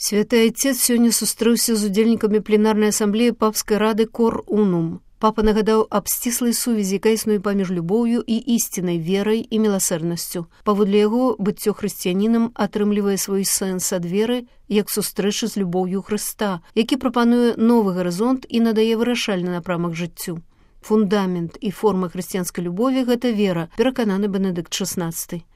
Святы Айцец сёння сустрэўся з удзельнікамі пленарнай асамблеі папскай рады Кор Унум. Папа нагадаў аб сціслай сувязі, якая існуе паміж любоўю і ісцінай, верай і міласэрнасцю. Паводле яго, быццё хрысціянінам атрымлівае свой сэнс ад веры, як сустрэча з любоўю Хрыста, які прапануе новы гарызонт і надае вырашальны напрамак жыццю. Фундамент і форма хрысціянскай любові – гэта вера, перакананы Бенедыкт XVI.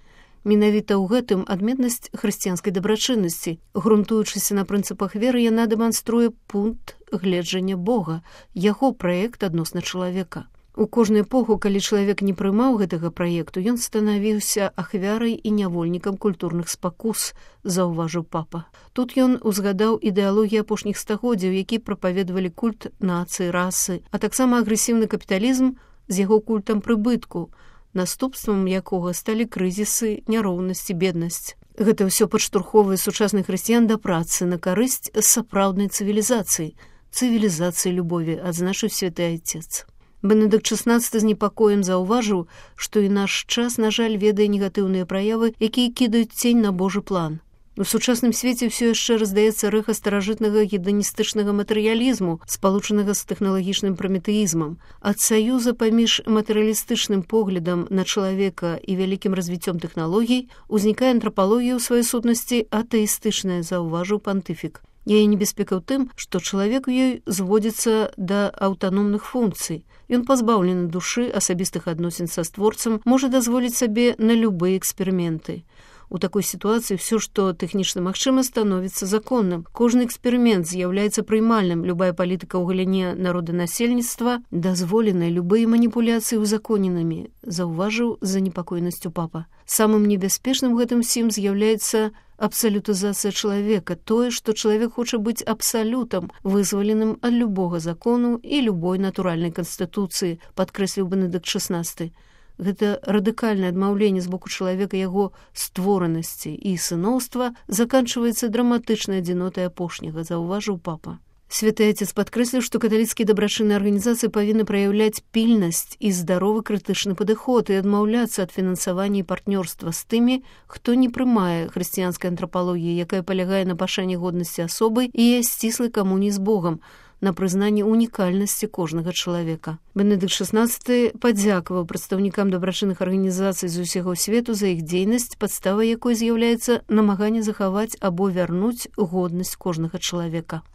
Менавіта ў гэтым адметнасць хрысціянскай дабрачыннасці. Грунтуючыся на прынцыпах веры, яна дэманструе пункт гледжання Бога, яго праект адносна чалавека. У кожную эпоху, калі чалавек не прымаў гэтага праекту, ён станавіўся ахвярай і нявольнікам культурных спакус, заўважыў папа. Тут ён узгадаў ідэалогіі апошніх стагоддзяў, які прапаведавалі культ нацыі, расы, а таксама агрэсіўны капіталізм з яго культам прыбытку, наступствам якога сталі крызісы, няроўнасць і беднасць. Гэта ўсё падштурхоўвае сучасных хрысціян да працы на карысць сапраўднай цывілізацыі, цывілізацыі любові, адзначыў святы Айцец. Бенедыкт XVI з непакоем заўважыў, што і наш час, на жаль, ведае негатыўныя праявы, якія кідаюць цень на Божы план. У сучасным свеце ўсё яшчэ раздаецца рэха старажытнага гедоністычнага матэрыялізму, спалучанага з тэхналагічным праметэізмам. Ад саюза паміж матэрыялістычным поглядам на чалавека і вялікім развіццём тэхналогій узнікае антрапалогія ў сваёй сутнасці атэістычная, заўважыў пантыфік. Яе небяспека ў тым, што чалавек у ёй зводзіцца да аўтаномных функцый. Ён пазбаўлены душы, асабістых адносін са створцам, можа дазволіць сабе на любыя эксперыменты. У такой сітуацыі ўсё, што тэхнічна магчыма, становіцца законным. Кожны эксперымент з'яўляецца прыймальным, любая палітыка ў галіне народанасельніцтва дазволеная, любыя маніпуляцыі узаконенымі, заўважыў з занепакоенасцю папа. Самым небяспечным гэтым сім з'яўляецца абсалютызацыя чалавека, тое, што чалавек хоча быць абсалютам, вызваленым ад любога закону і любой натуральнай канстытуцыі, падкрэсліў Бенедыкт XVI. Гэта радыкальнае адмаўленне з боку чалавека яго створанасці і сыноўства заканчваецца драматычнай адзінотай апошняга, заўважыў папа. Святы Айцец падкрэсліў, што каталіцкія дабрачынныя арганізацыі павінны праяўляць пільнасць і здаровы крытычны падыход і адмаўляцца ад фінансавання і партнёрства з тымі, хто не прымае хрысціянскай антрапалогіі, якая палягае на пашане годнасці асобы і сціслай камуніі з Богам, на прызнанні унікальнасці кожнага чалавека. Бенедыкт XVI падзякаваў прадстаўнікам дабрачынных арганізацый з усяго свету за іх дзейнасць, падставай якой з'яўляецца намаганне захаваць або вярнуць годнасць кожнага чалавека.